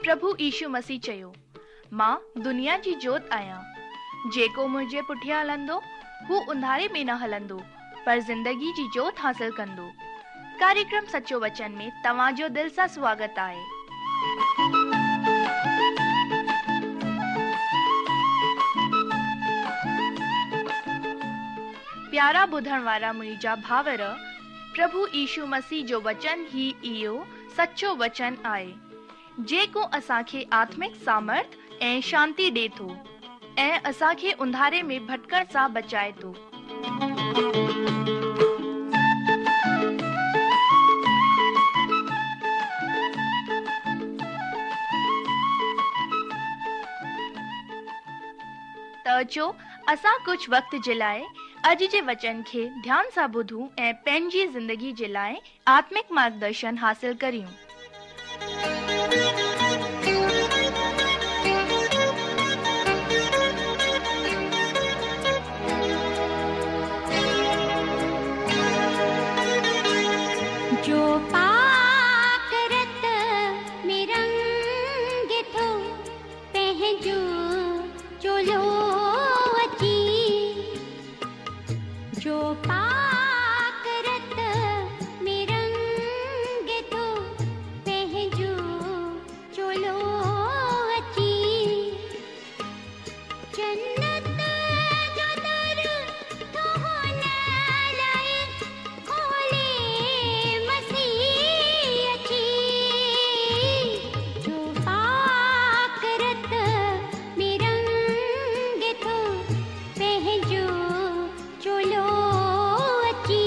پرڀو يشو مسيح چيو، مان دنيا جي جوت آهيان. جيڪو منهنجي پٺيان هلندو، هو انڌاري ۾ نه هلندو، پر زندگي جي جوت حاصل ڪندو. ڪاريڪرم سچو وچن ۾ توهان جو دل سان سواگت آهي. پيارا ٻڌڻ وارا منهنجا ڀائر، پرڀو يشو مسيح جو وچن ئي اهو سچو وچن آهي. جيڪو اسان کي آتمڪ سامرٿ ۽ شانتي ڏي ٿو ۽ اسان کي انڌاري ۾ ڀٽڪڻ سان بچائي ٿو. ته اچو اسان ڪجهه وقت جي لاء اڄ جي وچن کي ڌيان سان ٻڌون ۽ پنهنجي زندگي جي لاء آتمڪ مارگدرشن حاصل ڪريون. جو پاڪ رت ۾ رنگي ٿو پنهنجو چولو اچي. جو پاڪ رت ۾ رنگي ٿو پنهنجو چولو اچي. جنت جو در ٿو هن لاء کولي مسيح اچي. جو پاڪ رت ۾ رنگي ٿو پنهنجو چولو اچي.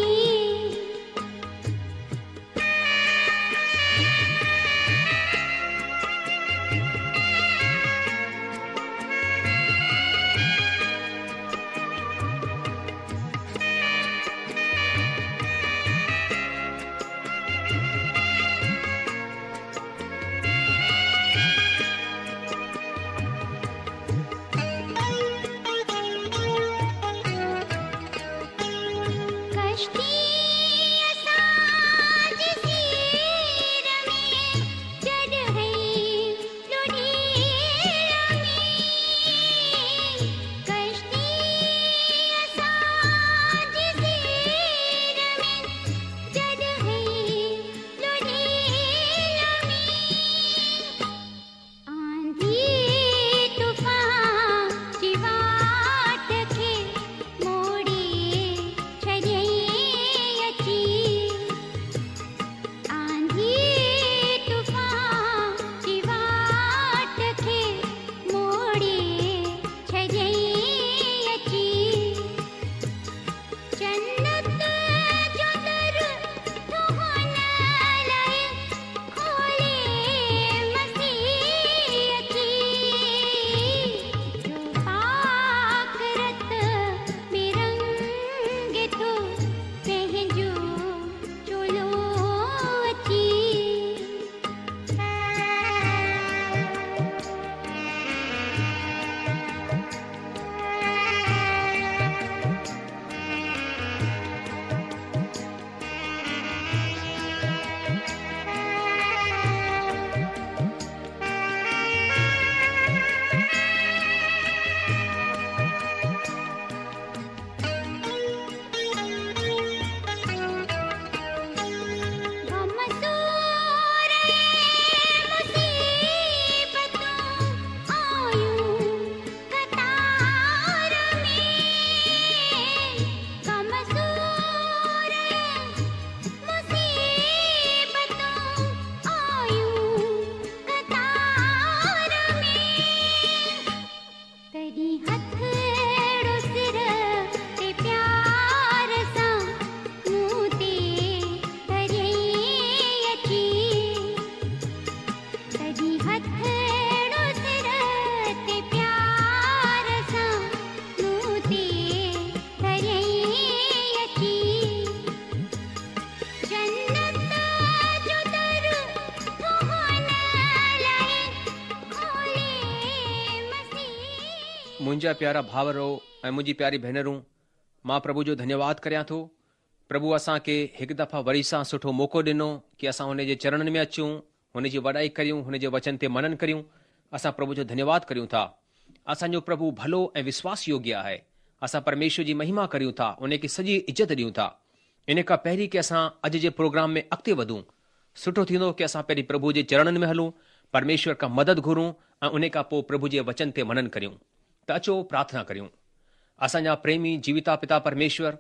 ڪشتي اسان جي سير ۾ جڏهن لڙهي ۾ ڪشتي اسان جي سير ۾ جڏهن لڙهي ۾. آنڌي طوفان جي واٽ کي موڙي ڇڏيائين اچي. آنڌي طوفان جي واٽ کي موڙي ڇڏيائين اچي. جنت جو در ٿو هن لاء کولي مسيح اچي. جو پاڪ رت ۾ رنگي ٿو پنهنجو چولو اچي. غم سور ۽ مصيبتون آيون قطار ۾. غم سور ۽ مصيبتون آيون قطار ۾. تڏهن هٿڙو سر تي پيار سان مون تي ڌريائين اچي. تڏهن هٿڙو سر تي پيار سان مون تي ڌريائين اچي. جنت جو در ٿو هن لاء کولي مسيح. منهنجا پيارا ڀائرو ۽ منهنجي پياري ڀينرون، مان پرڀو جو ڌنيواد ڪريان ٿو. پرڀو اسان کي هڪ دفعا وري سان سٺو موقعو ڏنو ڪي اسان ان جي چرڻن ۾ اچون، هن جي وڏائي ڪريون، هن جي وچن تي منن ڪريون. اسان پرڀو جو ڌنيواد ڪريون ٿا. اسان جو پرڀو ڀلو ۽ وشواس يوگيه آهي. اسان پرميشور جي مهما ڪريون ٿا، ان کي سڄي عزت ڏيون ٿا. ان کان پهرين ڪي اسان اڄ جي پروگرام ۾ اڳتي وڌون، سٺو ٿيندو ڪي اسان پهرين پرڀو جي چرڻن ۾ هلون، پرميشور کان مدد گهرون ۽ ان کان پوء پرڀو جي وچن تي منن ڪريون. ته اچو پرارٿنا ڪريون. اسان جا پريمي جيوتا پتا پرميشور،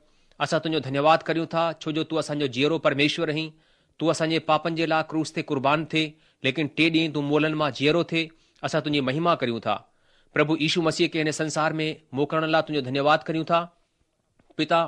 اسان تنهنجو ڌنيواد ڪريون ٿا ڇو جو تون اسان جو جيئرو پرميشور آهين. تون اسان جي پاپن جي لاء ڪروس تي قربان ٿئي، ليڪن ٽئين ڏينهن تون مئلن مان جيئرو ٿئي، اسان تنهنجي مهما ڪريون ٿا. پرڀو يشو مسيح کي هن سنسار ۾ موڪلڻ لاء تنهنجو ڌنيواد ڪريون ٿا. پتا،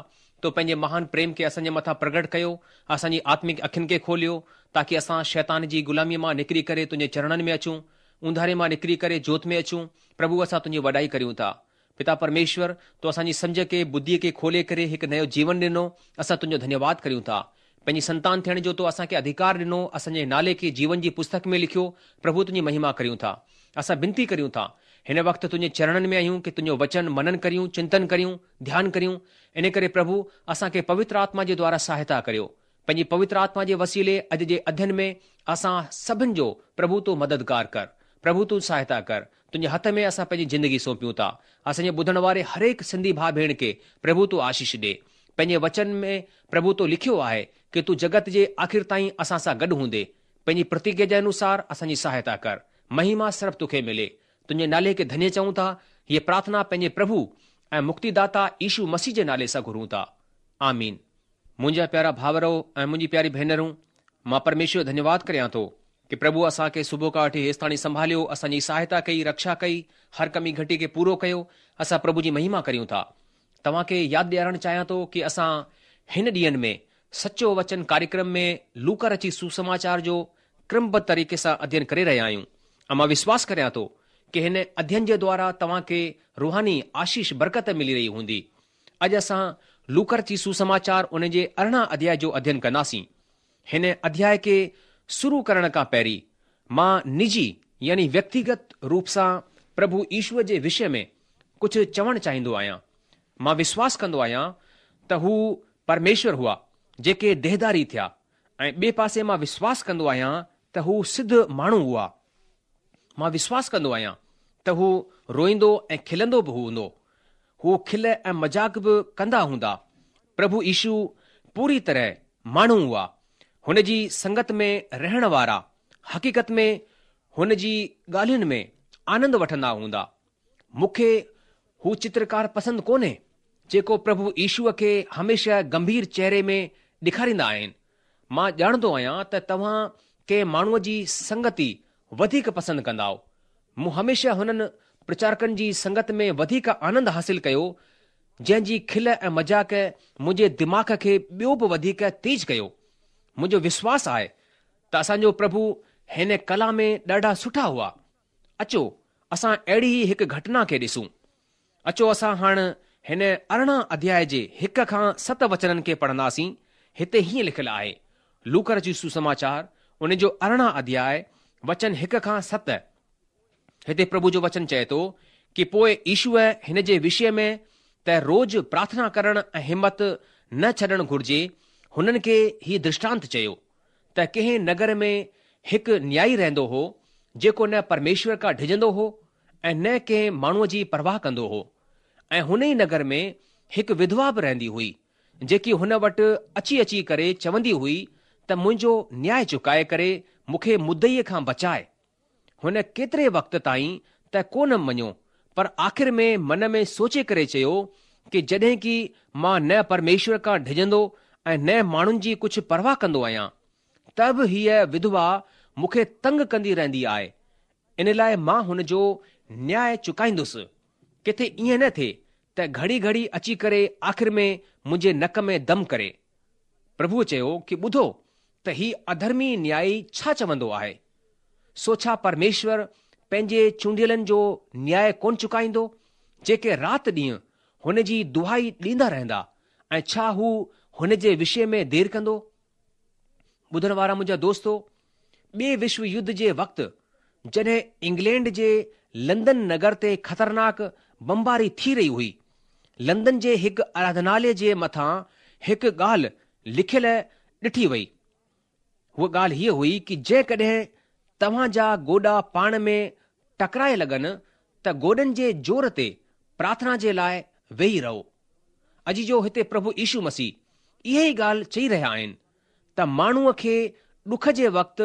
تو پنهنجي مهان پريم کي اسان جي مٿان پرگهٽ ڪيو، اسان جي آتمڪ اکين کي کوليو، تاڪي اسان شيطان جي غلاميء مان نڪري ڪري تنهنجي چرڻن ۾ اچون، اونڌاري مان نڪري ڪري جوت ۾ اچون. پرڀو اسان تنهنجي وڏائي ڪريون ٿا. پتا پرميشور، تو اسان جي سمجهه کي، ٻڌيء کي کولي ڪري هڪ نيو جيون ڏنو، اسان تنهنجو ڌنيواد ڪريون ٿا. پنهنجي سنتان ٿيڻ جو تو اسان کي اڌيڪار ڏنو، اسان جي نالي کي جيون جي پستڪ ۾ لکيو، پرڀو تنهنجي مهما ڪريون ٿا. اسان بنتي ڪريون ٿا. هن وقت تنهنجي چرڻن ۾ آهيون ڪي تنهنجو وچن منن ڪريون، چنتن ڪريون، ڌيان ڪريون. ان ڪري پرڀو، اسان کي پوتر آتما جي دوارا سهائتا ڪريو. پنهنجي پوتر آتما جي وسيلي اڄ جي اڌين ۾ اسان سڀن جو پرڀو تون مددگار ڪر. پرڀو تون سهائتا ڪر. تنهنجي هٿ ۾ اسان پنهنجي زندگي سونپيون ٿا. اسان جي ٻڌڻ واري هرهڪ سنڌي ڀاء ڀيڻ کي پرڀو تون آشيش ڏي. پنهنجي وچن ۾ پرڀو تو لکيو آهي ڪي تون جڳت جي آخر تائين اسان سان گڏ هوندي. پنهنجي پرتگيا جي انوسار اسان جي سهائتا ڪر. مهما صرف توکي ملي. تنهنجي نالي کي ڌنيه چئون ٿا. هيء پرارٿنا پنهنجي پرڀو ۽ مڪتيداتا يشو مسيح جي نالي سان گهرون ٿا. آمين. منهنجا پيارا ڀائرؤ ۽ منهنجي پياري ڀينرون، مان پرميشور جو ڌنيواد ڪريان ٿو ڪي پرڀو اسان کي صبح کان وٺي هيستاڻي سنڀاليو، اسان جي سهائتا ڪئي، رڪشا ڪئي، هر ڪمي گهٽي کي پورو ڪيو. اسان پرڀو جي مهما ڪريون ٿا. توهان کي ياد ڏيارڻ چاهيان ٿو ڪي اسان هن ڏينهن ۾ سچو وچن ڪاريڪرم ۾ لوڪا رچي سوسماچار جو ڪرمبڌ طريقي سان اڌين ڪري رهيا آهيون ۽ مان وشواس ڪريان ٿو ڪي هن اڌين جي دوارا توهان کي روحاني آشيش برڪت ملي رهي هوندي. اڄ اسان لوڪا رچي سوسماچار ان جي 18 اڌياء جو اڌين ڪنداسين. هن اڌياء کي شروع ڪرڻ کان پهرين مان نجي يعني ويڪتيگت روپ سان پرڀو يشوء جي وشي ۾ ڪجهه چوڻ چاهيندو آهيان. مان وشواس ڪندو آهيان ته هو پرميشور هئا جيڪي ديهداري ٿيا ۽ ٻئي پاسي مان وشواس ڪندو آهيان ته هو سڌ ماڻهو هئا. مان وشواس ڪندو آهيان ته هو روئيندو ۽ کلندو به هوندو. هو کل ۽ مذاق به ڪندا هوندا. پرڀو يشو پوري طرح ماڻهو هئا. هن جي سنگت ۾ رهڻ وارا حقيقت ۾ هن جي ڳالهين ۾ آنند وٺندا هوندا. مون کي هو چترڪار پسند ڪونهي جيڪو پرڀو يشوء کي هميشه گنڀير چهري ۾ ڏيکاريندا آهن. مان ڄاڻندو آهيان ته توهان ڪنهن ماڻهوء جي سنگتي وڌيڪ پسند ڪندائو. مون هميشه هنن پرچارڪن جي سنگت ۾ وڌيڪ آنند حاصل ڪيو جنهن جي کل ۽ مذاق منهنجي دماغ کي ٻيو به وڌيڪ تيز ڪيو. منهنجو وشواس آهي ته اسان جو پرڀو هن ڪلا ۾ ڏاڍا سٺا هئا. اچو اسان اهڙي ئي هڪ گهٽنا کي ڏسون. اچو اسان هاڻ هن 18 اڌياء جي هڪ کان ست وچنن کي پڙهنداسين. هتي هيئن لکيل آهي، لوڪا رچي سوسماچار ان جو 18 اڌياء وچن هڪ کان ست. هتي پرڀو جو وچن چئي ٿو ڪي پوء يشوء هن جي وشي ۾ ته روز پرارٿنا ڪرڻ ۽ همت نه ڇڏڻ گهرجي هنن کي هي درشٽانت چيو. ته ڪنهن نگر ۾ هڪ نيائي رهندو هو، جيڪو نه پرميشور کان ڊڄندو هو ۽ نه ڪنهن ماڻهوء جي پرواهه ڪندو هو. ۽ هن ئي نگر ۾ هڪ وڌوا به رهندي هئي، جيڪي هن وٽ اچي اچي ڪري چوندي هئي ته منهنجو نياء چڪائي ڪري مون کي مدعيء کان بچاء. هن ڪيتري وقت تائين ته ڪونه مڃيو، پر آخر ۾ من ۾ سوچي ڪري چيو ڪي جڏهن ڪي مان نه پرميشور کان ڊڄندو ۽ نه ماڻهن جي ڪجهه پرواهه ڪندو آهيان، ته به هيء وڌوا مون کي تنگ ڪندي رهندي آهي، ان لاء مان هن جو نياء چڪائيندس، ڪٿي ائين نه ٿئي ته گهڙي گهڙي اچي ڪري آخر ۾ منهنجي نڪ ۾ دم ڪري. پرڀوء چيو ڪي ٻڌو ته هي اڌرمي نيائي ڇا چوندو آهي؟ سو ڇا پرميشور پنهنجي چونڊيلن جو نياء ڪونه چڪائيندو، جيڪي رات ڏينهن هن جي دهائي ڏيندا رهندا ۽ ڇا هو هن جي وشي ۾ دير ڪندو؟ ٻڌڻ وارا منهنجا دوستو، ٻئي وشو يڌ جي وقت جڏهن انگلينڊ جي لندن نگر تي خطرناڪ بمباري ٿي رهي هئي، لندن جي هڪ آراڌناليه جي مٿان هڪ ڳالهه لکيل ڏٺي وئي. هوء ڳالهه هيء هئي ڪي جيڪڏهن توهان جا گوڏا پاڻ ۾ ٽڪرائي لڳن ته گوڏن جي زور تي پرارٿنا جي لاء ويهي رهو. عزيزو هتي پرڀو يشو مسيح اها ئي ڳالهه چئي رهيا آهن ته ماڻهوء کي ڏک جي وقت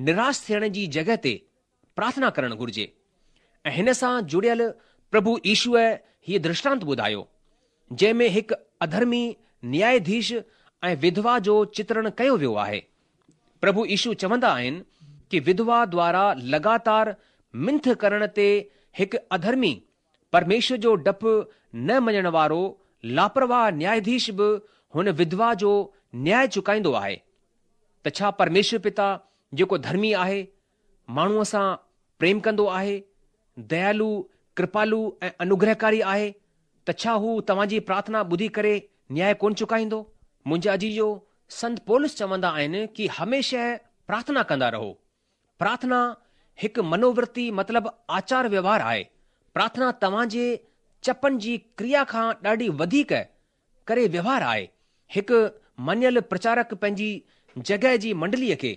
نراش ٿيڻ جي جڳهه تي پرارٿنا ڪرڻ گهرجي ۽ هن سان جڙيل پرڀو يشوء هيء درشٽانت ٻڌايو، جنهن ۾ هڪ اڌرمي نياياڌيش ۽ وڌوا جو چترڻ ڪيو ويو آهي. پرڀو يشو چوندا آهن ڪي وڌوا دوارا لڳاتار منٿ ڪرڻ تي هڪ اڌرمي، پرميشور جو ڊپ نه مڃڻ وارو لاپرواهه نياياڌيش به هن وڌوا جو نياء چڪائيندو آهي ته ڇا پرميشور پتا جيڪو ڌرمي آهي، ماڻهوء سان پريم ڪندو آهي، ديالو، ڪرپالو ۽ انوگرهڪاري آهي ته ڇا هو توهان جي پرارٿنا ٻڌي ڪري نياء ڪونه چڪائيندو؟ منهنجا عزيزو، سنت پولس چوندا آهن ڪي هميشه پرارٿنا ڪندا رهو. پرارٿنا هڪ منوورتي مطلب آچار ويوهار آهي. پرارٿنا توهان جي چپن جي ڪريا کان ڏاڍي وڌيڪ ڪري ويوهار آهي. هڪ مڃيل پرچارڪ پنهنجي جڳهه جي منڊليء کي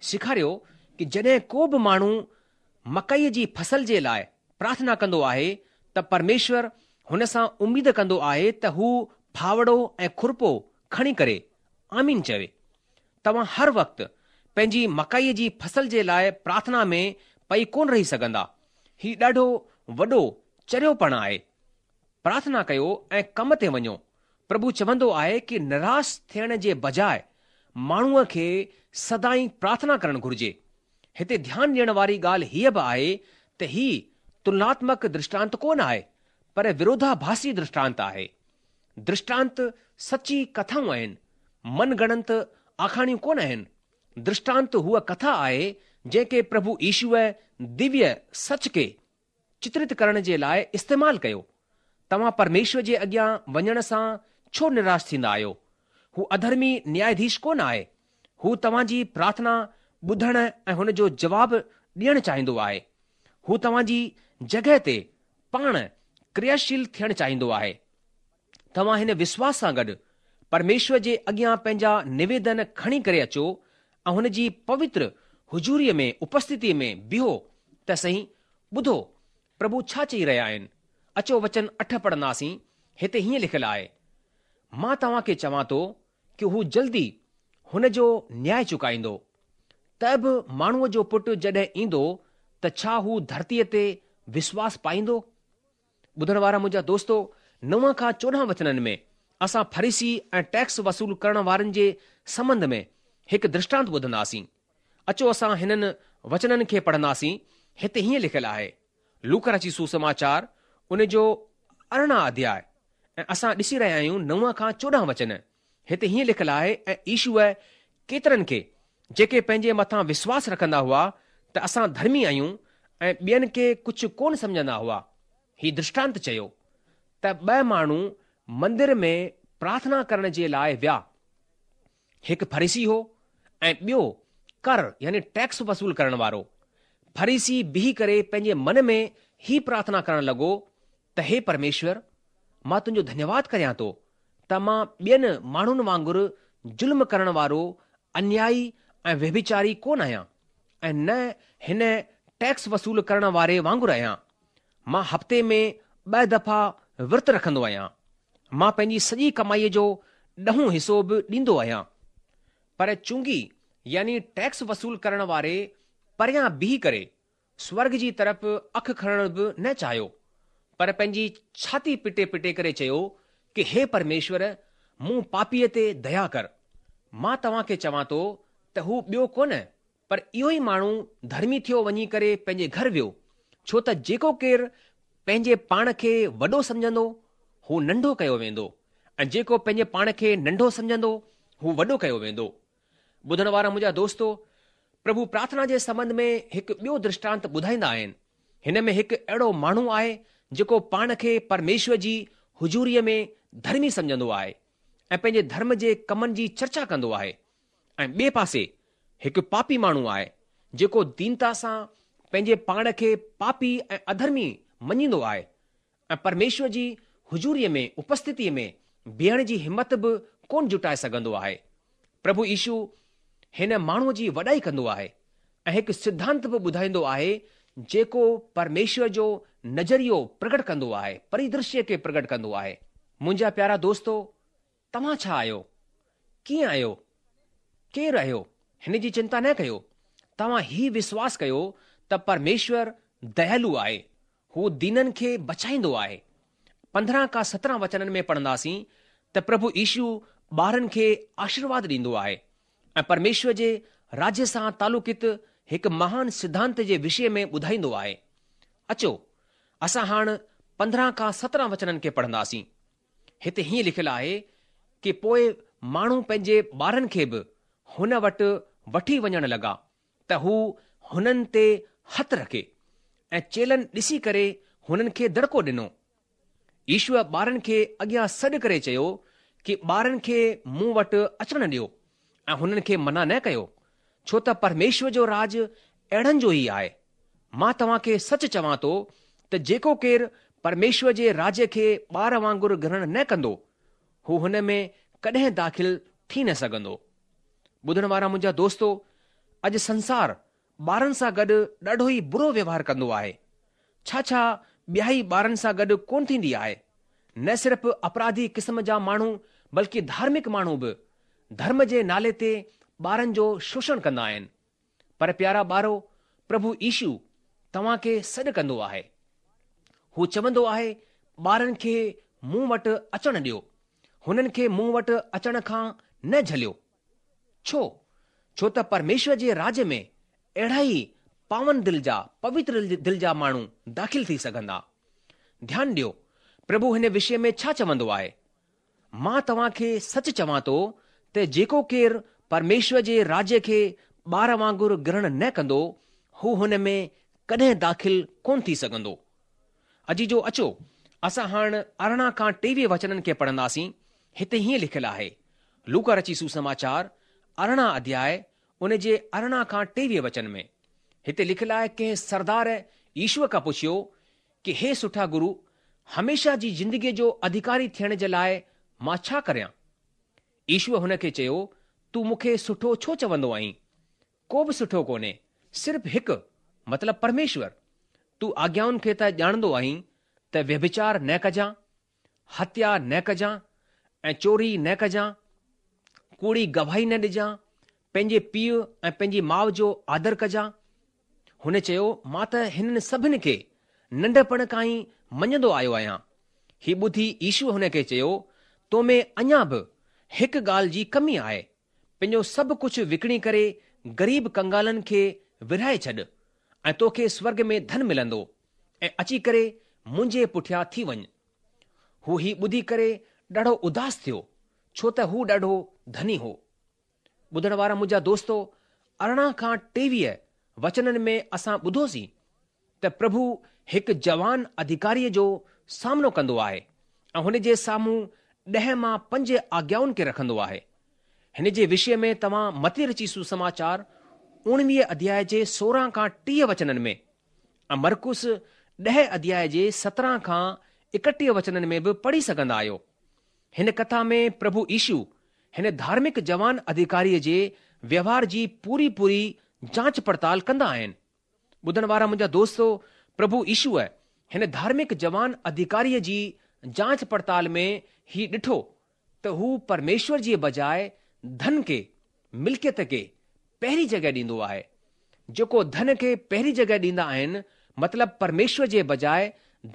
سيکاريو ڪي جڏهن ڪو به ماڻهو مڪئيء جي فصل جي لاء پرارٿنا ڪندو آهي ته پرميشور هن سان اميد ڪندو آهي ته هو ڦاوڙو ۽ کرپو کڻي ڪري آمين چوي. توهان هر وقت پنهنجي مڪئيء جي فصل جي لاء پرارٿنا ۾ پئي ڪونه رهي سگهندا. هي ڏاڍو وڏو چريوپڻ آهي. پرارٿنا ڪيو ۽ ڪم تي وڃو. پرڀو چوندو آهي ڪي نراش ٿيڻ جي بجاء ماڻهوء کي سدائين پرارٿنا ڪرڻ گهرجي. هتي ڌيان ڏيڻ واري ڳالهه هيء به آهي ته هي تلناتمڪ درشٽانت ڪونه آهي پر وروڌاڀاسي درشٽانت آهي. درشٽانت سچي ڪٿائون آهن، من گهڙنت آکاڻيون ڪونه آهن. درشٽانت هوء ڪٿا آهي جنهن کي پرڀو يشوء دويه سچ کي چترت ڪرڻ جي لاء استعمال ڪيو. توهان پرميشور جي اڳيان وڃڻ سان ڇو نراش ٿيندا آهيو؟ هو اڌرمي نياياڌيش ڪونه آهي. هو توهان جي پرارٿنا ٻڌڻ ۽ هن جو جواب ڏيڻ چاهيندو آهي. هو توهان جي جڳهه تي پاڻ ڪرياشيل ٿيڻ چاهيندو آهي. توهان هن وشواس سان گڏ پرميشور جي اڳيان پنهنجا نويدن کڻي ڪري اچو ۽ هن جي پوتر حضوريء ۾ اپسٿتيء ۾ بيهو ته سهي ٻڌو، پرڀو ڇا چئي رهيا آهن. اچو وچن اٺ پڙهنداسين، هتي هيئن لکيل آهي، مان توهان کي چوان ٿو ڪي هو جلدي هن جو نياء چڪائيندو. ته به ماڻهوء جو پٽ جڏهن ايندو ته ڇا هو ڌرتيء تي وشواس پائيندو؟ ٻڌڻ وارا منهنجا دوستو، نو کان 14 وچنن ۾ اسان فريسي ۽ ٽيڪس وصول ڪرڻ وارن جي سنٻنڌ ۾ هڪ درشٽانت ٻڌنداسين. اچو اسان هنن وچنن کي پڙهنداسين، هتي هيئن لکيل آهي، لوڪا رچت سوسماچار ان جو 18 اڌياء ۽ اسان ڏسي رهيا آهيون نو کان 14 وچن، هتي هيئن لکيل آهي ۽ يشوء ڪيترن کي جيڪي پنهنجي مٿان وشواس رکندا هئا ته اسان ڌرمي آهيون ۽ ٻين کي ڪجهه ڪونه سمجهندا هئا، هي درشٽانت چيو ته ٻه ماڻهو مندر ۾ پرارٿنا ڪرڻ جي لاء ويا. هڪ فريسي هو ۽ ٻيو ڪر يعني ٽيڪس وصول ڪرڻ وارو. فريسي بيهي ڪري پنهنجي من ۾ هي پرارٿنا ڪرڻ لڳو ته هي پرميشور، مان تنهنجو ڌنيواد ڪريان ٿو ته مان ٻين ماڻهن وانگر ظلم ڪرڻ وارو، انيائي ۽ ويڀچاري ڪونه آهيان ۽ نه هن ٽيڪس وصول ڪرڻ واري وانگر آهيان. مان هفتي ۾ ٻه دفعا ورت رکندو آهيان. مان پنهنجي سڄي ڪمائيء جو ڏهون حصو به ڏيندو آهيان. پر چونگي يعني ٽيڪس وصول ڪرڻ واري پريان بيهي ڪري سورڳ جي طرف اک کڻڻ به نه چاهيو، پر پنهنجي ڇاتي پٽي پٽي ڪري چيو ڪي هي پرميشور مون پاپيء تي ديا ڪر. مان توهان کي چوان ٿو ته هو ٻيو ڪونه پر اهو ئي ماڻهو ڌرمي ٿيو وڃي ڪري پنهنجي گهر ويو، ڇو ته جيڪو ڪير پنهنجي پاڻ کي وڏو سمجهندو، هو ننڍو ڪيو ويندو ۽ جيڪو پنهنجي پاڻ کي ننڍو سمجهندو، هو وڏو ڪيو ويندو. ٻڌڻ وارا منهنجا دوستو، پرڀو پرارٿنا جي سنٻنڌ ۾ هڪ ٻيو درشٽانت ٻڌائيندا آهن. هن ۾ هڪ اهڙو ماڻهو آهي جيڪو پاڻ کي پرميشور جي حضوريء ۾ ڌرمي سمجهندو آهي ۽ پنهنجي ڌرم جي ڪمن جي چرچا ڪندو آهي ۽ ٻئي پاسي هڪ پاپي ماڻهو آهي جيڪو دينتا سان پنهنجي پاڻ کي پاپي ۽ اڌرمي مڃيندو آهي ۽ پرميشور جي حضوريء ۾ اپسٿتيء ۾ بيهڻ جي همت به ڪونه جٽائي سگهندو آهي. پرڀو يشو هن ماڻهوء جي وڏائي ڪندو آهي ۽ هڪ سڌانت به ٻڌائيندو آهي جيڪو پرميشور جو نظريو پرگٽ ڪندو آهي، پريدرشيه کي پرگٽ ڪندو آهي. منهنجا پيارا دوستو، توهان ڇا آهيو؟ ڪيئن آهيو؟ ڪير آهيو؟ هن جي چنتا نه ڪيو. توهان هي وشواس ڪيو ته پرميشور ديالو آهي، هو دينن کي بچائيندو آهي. 15 کان 17 وچنن ۾ پڙهنداسين ته پرڀو يشو ٻارن کي آشيرواد ڏيندو آهي ۽ پرميشور جي راجيه سان تعلقيت هڪ مهان سڌانت جي وشي ۾ ٻڌائيندو آهي. اچو، اسان هاڻ 15 کان 17 وچنن کي پڙهنداسين. هتي هيئن لکيل آهي ڪي پوء ماڻهو پنهنجي ٻارن کي به هن وٽ وٺي وڃڻ لڳا ته هو هنن تي هٿ رکي ۽ چيلن ڏسي ڪري هنن کي دڙڪو ڏنو. يشوء ٻارن کي اڳيان سڏ ڪري چيو ڪي ٻارن کي مون وٽ اچڻ ڏيو ۽ هنن کي منع نه ڪيو، ڇو ته پرميشور جو راڄ اهڙن جو ئي آهي. مان توهان کي سچ چوان ٿو ته جيڪو ڪير پرميشور جي راڄ کي ٻار وانگر گرهڻ نه ڪندو، هو هن ۾ ڪڏهن داخل ٿي نه سگهندو. ٻڌڻ وارا منهنجا دوستو، اڄ سنسار ٻارن سان گڏ ڏاڍو ئي برو ويوهار ڪندو آهي. ڇا ڇا ٻيائي ٻارن سان گڏ ڪونه ٿيندي آهي. نه صرف اپراڌي قسم جا ماڻهو بلڪه ڌارمڪ ماڻهو به ڌرم جي نالي تي ٻارن جو شوشڻ ڪندا آهن. پر پيارا ٻارو، پرڀو يشو توهان کي سڏ ڪندو آهي. هو چوندو آهي، ٻارن کي مون وٽ اچڻ ڏيو، هنن کي مون وٽ اچڻ کان نه جهليو. ڇو؟ ڇو ته پرميشور جي راڄ ۾ اهڙا ئي پاون دل جا، پوتر دل جا ماڻهو داخل ٿي سگهندا. ڌيان ڏيو، پرڀو هن وشي ۾ ڇا چوندو آهي. مان توهان کي سچ چوان ٿو ته جيڪو ڪير پرميشور جي راڄ کي ٻار وانگر گرهڻ نه ڪندو، هو هن ۾ ڪڏهن داخل ڪونه ٿي سگهندو. عزيزو اچو، اسان هاڻ 18 کان 23 وچنن کي پڙهنداسين. هتي هيئن لکيل آهي، لوڪا رچي سوسماچار 18 اڌياء ان جي 18 کان 23 وچن ۾. هتي لکيل آهي ڪنهن سردار يشوء کان پڇيو ڪي هي سٺا گرو، هميشه جي زندگيء جو اڌڪاري ٿيڻ جي لاء مان ڇا ڪريان؟ يشوء هن کي چيو، تون مون کي سٺو ڇو چوندو آهين؟ ڪو به سٺو ڪونهي، صرف هڪ، مطلب پرميشور. تون آگيائن کي ته ڄاڻندو آهين ته ويڀچار نه ڪجان، هتيا نه ڪجان ۽ چوري نه ڪجان، ڪوڙي گواهي نه ڏجان، پنهنجي پيء ۽ پنهنجي ماء جو آدر ڪجان. هن چيو، مان ته هنن سڀن کي ننڍپڻ کان ئي مڃيندو آيو آهيان. هي ٻڌي يشوء هن کي چيو، تو ۾ اڃا به هڪ ڳالهه جي ڪمي آهي. پنهنجو سڀ ڪجهه وڪڻي ڪري غريب ڪنگالن کي ورهائي ڇڏ ۽ توکي سورڳ ۾ ڌن ملندو ۽ اچي ڪري منهنجي پٺيان ٿي وڃ. هو هي ٻڌي ڪري ڏاڍو اداس ٿيو، ڇو ته هو ڏاڍو ڌني هو. ٻڌڻ وارا منهنجا دوستو، 18 کان 23 وچنن ۾ اسان ٻڌوسين ته پرڀو هڪ جوان اڌڪاريء جو سامنو ڪندو آهي ۽ هن جي سامهون ڏهه مان پنج آگيائن کي رکندو آهي. هن جي وشي ۾ توهان متي رچي سوسماچار اوڻويهه اڌياء جي 16 کان 30 وچنن ۾ ۽ مرقس ڏهه اڌياء جي 17 کان 31 وچنن ۾ به پڙهي سگهندا آهيو. هن ڪٿا ۾ پرڀو يشو هن ڌارمڪ جوان اڌڪاريء جي ويوهار جي پوري پوري جانچ پڙتال ڪندا آهن. ٻڌڻ وارا منهنجا دوستو، پرڀو يشوء هن ڌارمڪ جوان اڌڪاريء جي جانچ پڙتال ۾ هي ڏٺو ته هو پرميشور جي بجاء ڌن کي، ملڪيت کي، پهرين جڳهه ڏيندو آهي. جيڪو ڌن کي پهرين جڳهه ڏيندا آهن، مطلب پرميشور جي بجاء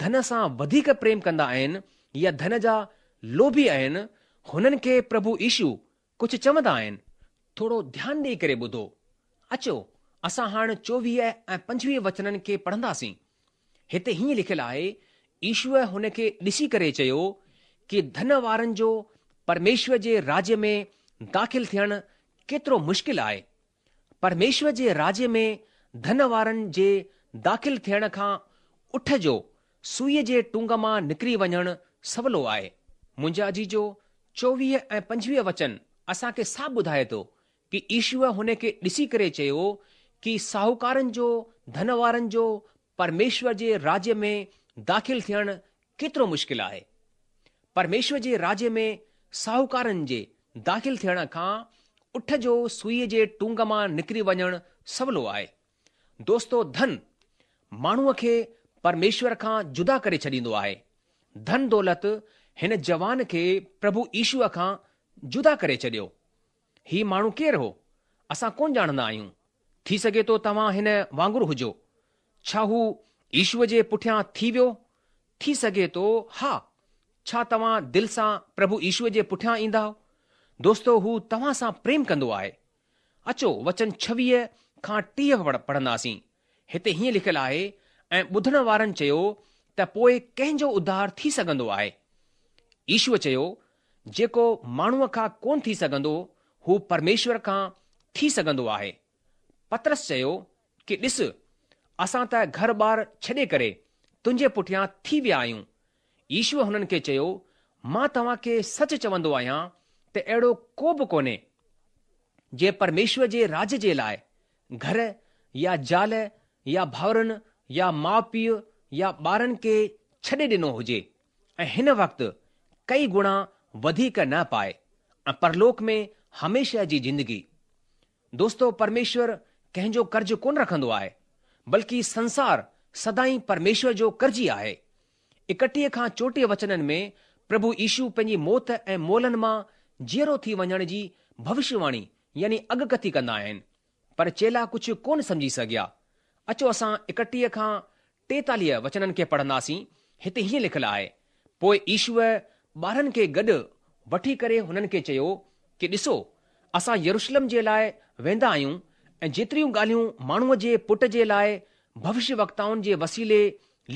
ڌن سان وڌيڪ پريم ڪندا آهن يا ڌن جا لوڀي آهن، هنن کي پرڀو يشو ڪجهه چوندا آهن. ٿورو ڌيان ڏيئي ڪري ٻڌو. اچو، اسان هاڻ 24 ۽ 25 وچنن کي پڙهنداسين. هتي هيئن لکيل آهي، يشوء هن کي ڏسي ڪري چيو ڪي ڌن وارن جو پرميشور جي راڄ ۾ داخل ٿيڻ ڪيترو مشڪل آهي. پرميشور جي راڄ ۾ ڌن وارن جي داخل ٿيڻ کان اٺ جو سوئيء جي ٽنگ مان نڪري وڃڻ سولو آهي. منهنجا عزيزو، 24 ۽ 25 وچن اسان کي صاف ٻڌائي ٿو ڪي يشوء هن کي ڏسي ڪري چيو ڪي ساهوڪارن جو، ڌن وارن جو پرميشور جي راڄ ۾ داخل ٿيڻ ڪيترو مشڪل آهي. پرميشور جي راڄ ۾ ساهوڪارن جي داخل ٿيڻ کان اٺ جو سوئيء جي ٽنگ مان نڪري وڃڻ سولو آهي. دوستو ڌن ماڻهوء کي پرميشور کان جدا ڪري ڇڏيندو آهي. ڌن دولت هن جوان کي پرڀو يشوء کان جدا ڪري ڇڏيو. هي ماڻهو ڪير هو؟ اسان ڪونه ڄاڻندا آهيون. ٿي سگهي ٿو توهان هن وانگر هجو. ڇا هو يشوء جي پٺيان ٿي ويو؟ ٿي سگهي ٿو ها. ڇا توهان دل سان پرڀو يشوء جي پٺيان ايندائو؟ دوستو هو توهان سان پريم ڪندو آهي. اچو وچن 26 کان 30 پڙهنداسين. هتي هيئن لکيل آهي، ۽ ٻڌڻ وارن چيو ته پوء ڪنهن جو اڌار ٿي سگهندو آهي؟ يشوء چيو، جيڪو ماڻهوء کان ڪونه ٿي سگهندو، هو پرميشور کان ٿي سگهندو آهي. پطرس چيو ڪي ڏس، اسان ته گهر ٻار ڇڏي ڪري تنهنجي پٺيان ٿي ويا آهيون. يشوء هنن کي چيو، مان توهان کي سچ چوندو آهيان ته اهڙو ڪو به ڪونهي، جنهن پرميشور جي راڄ جي لاء گهر يا زال يا ڀائرن يا ماء پيء يا ٻارن کي ڇڏي ڏنو هجي ۽ هن وقت ڪئي گڻا وڌيڪ نه پائي ۽ پرلوڪ ۾ هميشه جي زندگي. دوستو پرميشور ڪنهن جو قرض ڪونه رکندو آهي بلڪه سنسار سدائين پرميشور جو قرضي آهي. 31 کان 34 وچنن ۾ پرڀو يشو پنهنجي موت ۽ مئلن مان جيئرو ٿي وڃڻ جي ڀوشيواڻي يعني اڳڪٿي ڪندا آهن. پر چيلا ڪجهه ڪونه سمجهي سگهيا. اچو اسان 31 کان 43 وچنن کي پڙهنداسين، هتي هيئن لکيل آهي، پوء يشوء ٻارهن کي گڏ وٺي ڪري هنن کي چيو ڪي ڏسو، اسان يروشلم جي لاء ويندا آهيون ۽ جيتريون ڳالهيون ماڻهوء جي پٽ جي لاء ڀوشيوڪتائن جي وسيلي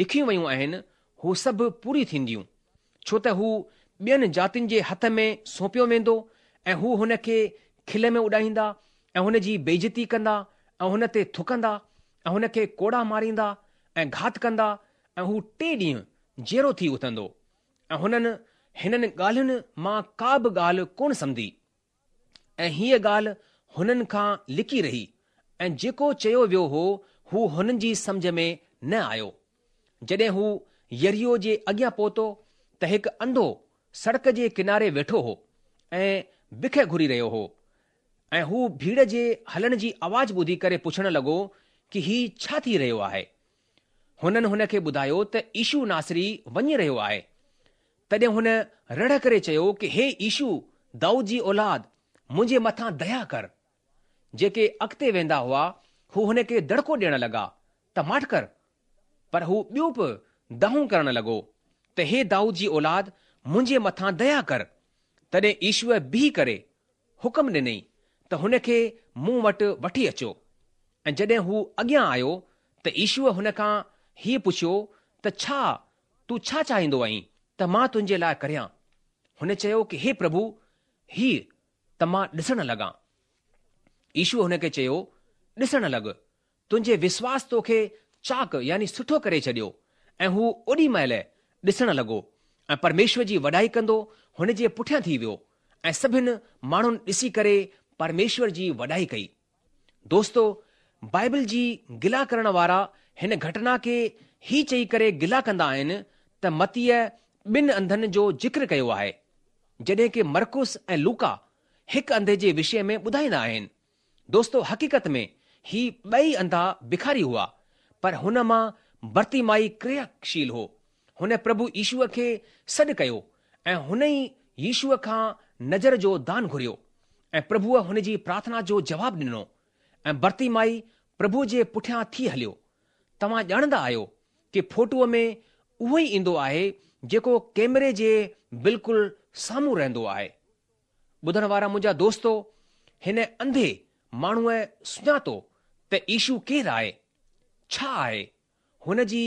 لکيون ويون آهن، هو سڀ پوري ٿينديون. ڇو ته هو ٻين جاتين جي هٿ ۾ سونپيو ويندو ۽ هو هن کي کل ۾ اڏائيندا ۽ هن جي بيعزتي ڪندا ۽ هن تي ٿڪندا ۽ هن کي ڪوڙا ماريندا ۽ گهات ڪندا ۽ هو ٽئين ڏينهن جيئرو ٿي اٿندو. ۽ هنن هنن ڳالهين مان ڪا به ڳالهه ڪونه سمجهي. ۽ هيء ڳالهه هنن کان لڪي رهي ۽ جيڪو چيو ويو هو، هو هنن جي سمجهه ۾ نه آيو. جڏهن هو يريحو جي اڳيان پهتو ته هڪ انڌو سڙڪ جي ڪناري ويٺو هو ۽ بک گهري رهيو هو ۽ هو ڀيڙ جي هلڻ جي آواز ٻڌي ڪري پڇڻ لڳو ڪي هي ڇا ٿي رهيو آهي؟ هنن هن کي ٻڌايو ته يشو ناصري وڃي رهيو آهي. تڏهن هن رڙ ڪري چيو ڪي هي يشو دائود جي اولاد منهنجي مٿان ديا ڪر. جيڪي اڳتي ويندا هئا هو هن کي دڙڪو ڏيڻ لڳا ته ماٺ ڪر. پر هو ٻيو به دانهون ڪرڻ لڳو ته هي دائود جي اولاد منهنجي مٿان ديا ڪر. تڏهن يشوء بيهي ڪري حڪم ڏنئي ته هن کي مون وٽ وٺي اچو. ۽ جڏهن هو اڳيان آيو ته يشوء هن کان هيء پڇيو ته ڇا تون ڇا چاهيندو آهين ته مان تنهنجي لاء ڪريان؟ هن چيو ڪي هي پرڀو، هيء ته مان ڏسڻ لڳان. يشوء هن کي چيو، ڏسڻ لڳ، تنهنجي وشواس توکي چاڪ يعني سٺو ڪري ڇڏيو. ۽ هو اوڏي مهل ڏسڻ لڳو ۽ پرميشور جي وڏائي ڪندو هن جي پٺيان ٿي ويو ۽ سڀن ماڻهن ڏسي ڪري پرميشور جي وڏائي ڪئي. دوستو! بائبل جي گلا ڪرڻ وارا هن گهٽنا کي هي چئي ڪري گلا ڪندا آهن ته متيء ٻن انڌن جو ذڪر ڪيو آهي، جڏهن ڪي مرقس ۽ لوڪا هڪ انڌي جي وشي ۾ ٻڌائيندا آهن. دوستو! حقيقت ۾ هي ٻئي انڌا بکاري هئا، پر هن مان برتيمائي ڪرياشيل هو. هن پرڀو يشوء کي سڏ ڪيو ۽ هن ئي يشوء کان نظر جو دان گهريو ۽ پرڀوء هن جي پرارٿنا جو جواب ڏنو ۽ برتيمائي پرڀوء جي پٺيان ٿي هليو. توهان ڄاڻندا آهيو ڪي فوٽوء ۾ اهو ئي ايندو آهي جيڪو ڪيمري جي بلڪل سامهون رهندو آهي. ٻڌڻ وارا منهنجا دوستو، هن انڌي ماڻهوء سڃاتو ته يشو ڪير آهي؟ ڇا آهي؟ هن جي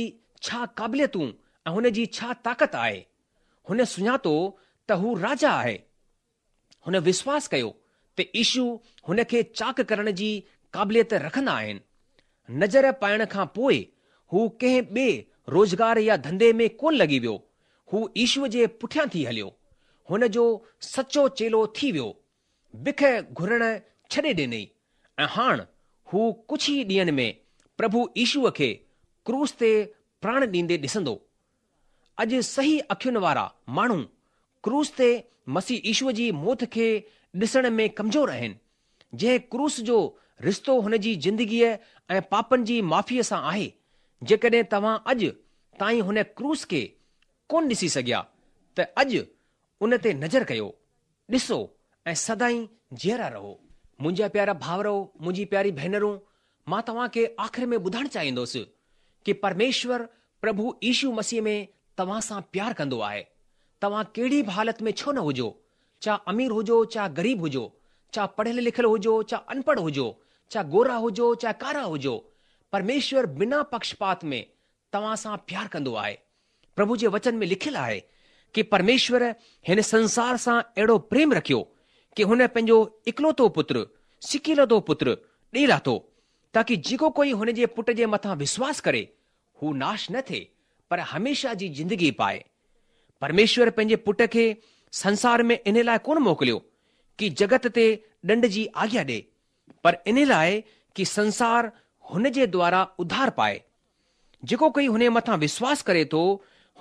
ڇا قابليتون ۽ هن جي ڇا طاقت آهي؟ هن سڃاتو ته هو راجا آهي. هن وشواس ڪيو ته يشو هن کي چاڪ ڪرڻ جي قابليت رکندا آهن. نظر پائڻ کان پوء هو ڪنهن ٻئي روزگار يا ڌنڌي ۾ ڪونه لڳي ويو. هو يشوء جي پٺيان ٿي هليو. هن جو سچو چيلو ٿي ويو. بک گهرڻ ڇڏي ڏنئي ۽ هاڻ هو ڪجهه ئي ڏينهن ۾ پرڀو يشوء کي ڪروس تي پراڻ ڏيندي ڏسندو. اڄ صحيح اکين وارا ماڻهو ڪروس تي مسيح يشوء جي موت کي ڏسڻ ۾ ڪمزور آهن، جنهن ڪروس جو رشتو هن جي زندگيء ۽ پاپن جي معافيء سان آهي. جيڪڏهن توهان اڄ تائين هن ڪروس کي ڪونه ڏسي سگهيا ته اڄ ان تي نظر ڪيو، ڏسو ۽ سدائين جيئرا رهو. منهنجا پيارا ڀائرو، منهنجي پياري ڀينرون، مان توهان کي آخر ۾ ٻڌائڻ چاهيندس ڪي پرميشور پرڀو يشو مسيح ۾ توهان سان پيار ڪندو آهي. توهان ڪهڙي به حالت ۾ ڇو نه هجو، چا امير هجو چا غريب هجو، چا پڙهيل لکيل هجو چا انپڙهه هجو، چا گورا هجو چا ڪارا هجو، پرميشور بنا پڪشپات ۾ توهان سان پيار ڪندو آهي. پرڀو جي وچن ۾ لکيل آهي ڪي پرميشور هن سنسار سان اهڙو پريم رکيو ڪي هن پنهنجو اڪلوتو پتر، سڪيلڌو پتر، ڏئي لاٿو تاڪي جيڪو ڪوئي هن جي پٽ جي مٿان وشواس ڪري هو ناش نه ٿئي پر هميشه جي زندگي پائي. پرميشور پنهنجي پٽ کي سنسار ۾ انهي لاء ڪونه موڪليو ڪي جڳت تي ڏنڊ جي آگيا ڏئي پر انهي لاء ڪي سنسار هن جي دوارا اڌار پائي. جيڪو ڪوئي هن جي مٿان وشواس ڪري ٿو،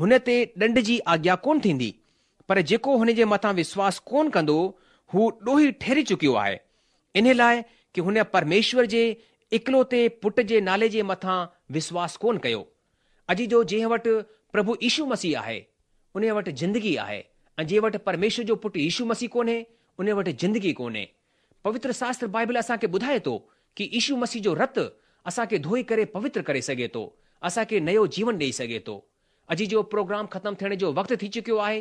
هن تي ڏنڊ جي آگيا ڪونه ٿيندي، پر جيڪو هن جي مٿان وشواس ڪونه ڪندو، هو ڏوهي ٺهري چڪيو آهي، انهي لاء ڪي هن پرميشور جي اڪلوتي پٽ جي نالي جي مٿان وشواس ڪونه ڪيو. عزيزو جنهن وٽ پرڀو يشو مسيح آهي، انهي وٽ زندگي آهي ۽ جنهن وٽ پرميشور جو پٽ يشو مسيح ڪونهي، انهي وٽ زندگي ڪونهي. پوتر شاستر بائبل اسان کي ٻڌائي ٿو ڪي يشو مسيح جو رت اسان کي ڌوئي ڪري پوتر ڪري سگهي ٿو، اسان کي نيو جيون ڏئي سگهي ٿو. عزيزو پروگرام ختم ٿيڻ جو وقت ٿي چڪيو آهي،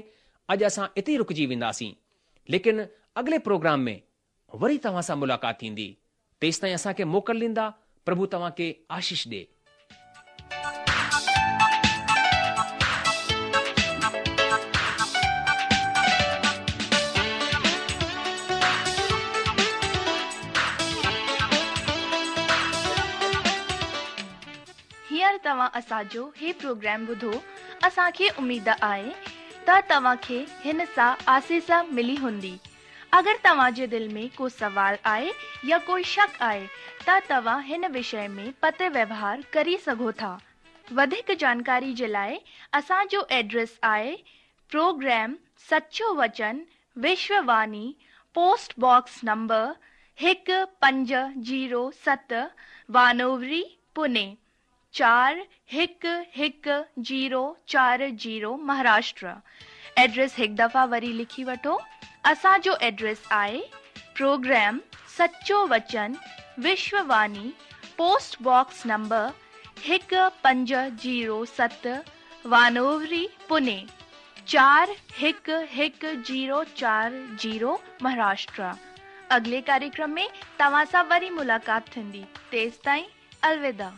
اڄ اسان اتي ئي رڪجي وينداسين. ليڪن اڳلي پروگرام ۾ وري توهان سان ملاقات ٿيندي. تيستائين اسان کي موڪل ڏيندا، پرڀو توهان کي آشيش ڏي. هينئر توهان اسان جو هي پروگرام ٻڌو، اسان کي اميد آهي ته توهان کي هن سان آسيس ملي هوندي. اگر توهان جي دل ۾ ڪو سوال آهي يا ڪوئي شڪ آهي ته توهان هن وشي ۾ پتر ويوهار ڪري سگهو ٿا. وڌيڪ جانڪاري جي لاء اسان جو ايڊريس آهي پروگرام سچو وچن Vishwa Vani post box number هڪ 507 وانووري پوني 4 1 1 0 4 0 مهاراشٽر ايڊريس هڪ دفعا وري لکي وٺو اسان جو ايڊريس آهي پروگرام سچو وچن Vishwa Vani post box number 1 5 0 7 Wanowrie Pune 4 1 1 0 4 0 Maharashtra اڳلي ڪاريڪرم ۾ توهان سان وري ملاقات ٿيندي تيستائين الوداع.